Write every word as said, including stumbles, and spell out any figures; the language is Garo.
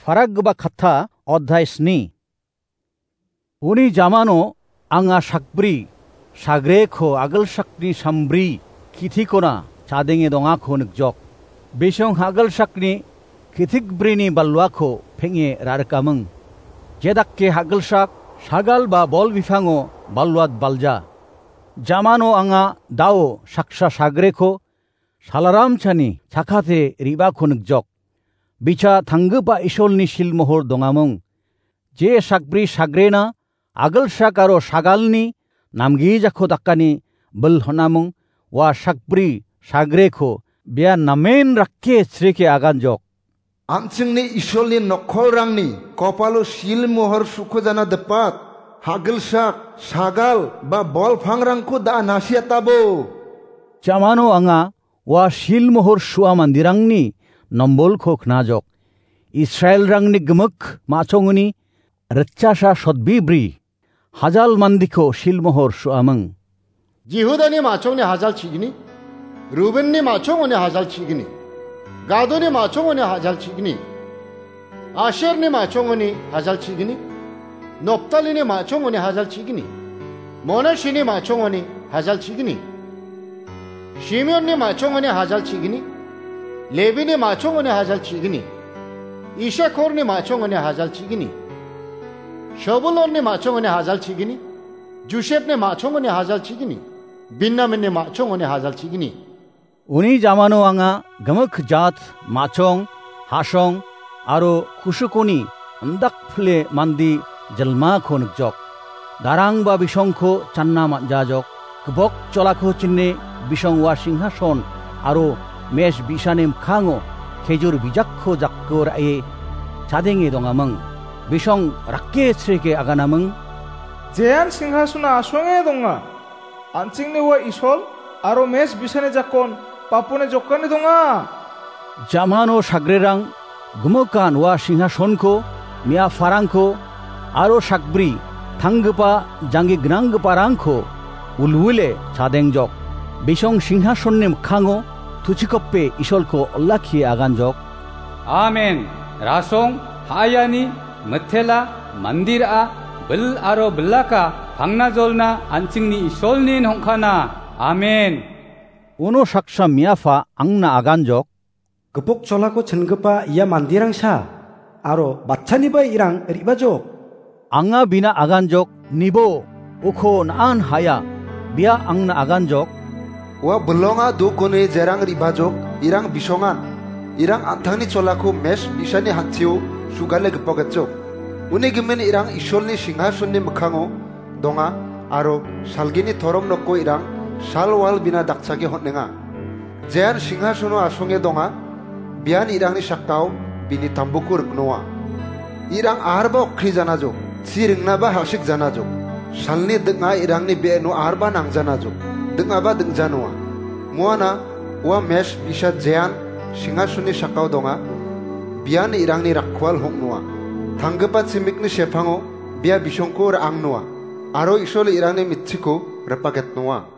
Parakgipa katta, odhai sni. Uni jamano anga sakbri sagreko agilsakni sambri kitikona chadenge dongako nikjok. Bisong hagilsakni kitikbrini balwako peng·e rarikaming. Jedake hagilsak sagal ba bol bipango balwat balja. Jamano anga dao saksa sagreko salaramchani chakate ribako nikjok. Bicha tanggipa Isolni silmohor dongamung. Je sakbri sagrena agilsak aro sagalni namgijako dakani bil honamung, ua sakbri sagreko bia namen rakke chreke aganjok. An·chingni Isolni nokkolrangni kopalo silmohor sukojana dipat, hagilsak, sagal ba bol pangrangko da·a nasiatabo. Jamano anga ua silmohor su·a manderangni nombolko knajok. Israelrangni gimik ma·chongoni ritchasa sotbibri hajal mandiko silmohor su·aming. Jihudani ma·chongni hajal chigni, Rubenni ma·chongoni hajal chigni, Gadoni ma·chongoni hajal chigni, Asherni ma·chongoni hajal chigni, Noptalini ma·chongoni hajal chigni, Monashini ma·chongoni hajal chigni, Simeonni ma·chongoni hajal chigni, Lebini ma·chongoni hajal chigni, Isakorni ma·chongoni hajal chigni, Sobulonni ma·chongoni hajal chigni, Josepni ma·chongoni hajal chigni, Benjaminni ma·chongoni hajal chigni. Uni jamano anga gimik jat, ma·chong, ha·song aro kusukoni indakpile mande jelmako nikjok. Darang ba bisongko channa man·jajok. Gipok cholako chine bisong ua singhason aro mes bi·sani mikkango kejur bijakko jako ra·e chadenge dongaming. Bisong rakke chreke aganaming. Jean singhasona asonge donga. An·chingni ua Isol aro mes bi·sani jakon bapone jokani donga. Jamano sagrerang gimikan ua singhasonko, me·afarangko aro sakbri tanggipa janggi gnanggiparangko ulwile chadengjok. Bisong singhasonni mikkango tuchikope Isolko olakkie aganjok. Amen. Rasong, ha·ayani, mitela, mandira, bil aro bilaka, pangnajolna an·chingni Isolnin hongkana. Amen. Uno saksa me·afa angna aganjok. Gipok cholako chingipa ia manderangsa, aro batchaniba irang re·bajok. Anga bina aganjok, nibo, uko na·an ha·ya, bia angna aganjok. Ua bilonga dokoni jerang re·bajok, irang bisongan, irang an·tangni cholako mes bi·sani hantio sugale gipoketjok. Uni gimin irang Isolni singhasonni mikkango donga, aro salgini torom noko irang salwal bina dakchake hon·enga. Jean singhasono asonge donga, bian irangni sakao bini tambuko riknoa. Irang arba okkri janajok, chi ringnaba hasik janajok. Salni ding·a irangni be·eno arba nangjanajok, ding·aba dingjanoa. Muana ua mes bi·sa Jean singhasonni sakao donga, bian irangni rakkual hong·noa. Tanggipa chimikni sepango bia bisongko ra·angnoa, aro Isol irangni mitchiko ripaketnoa.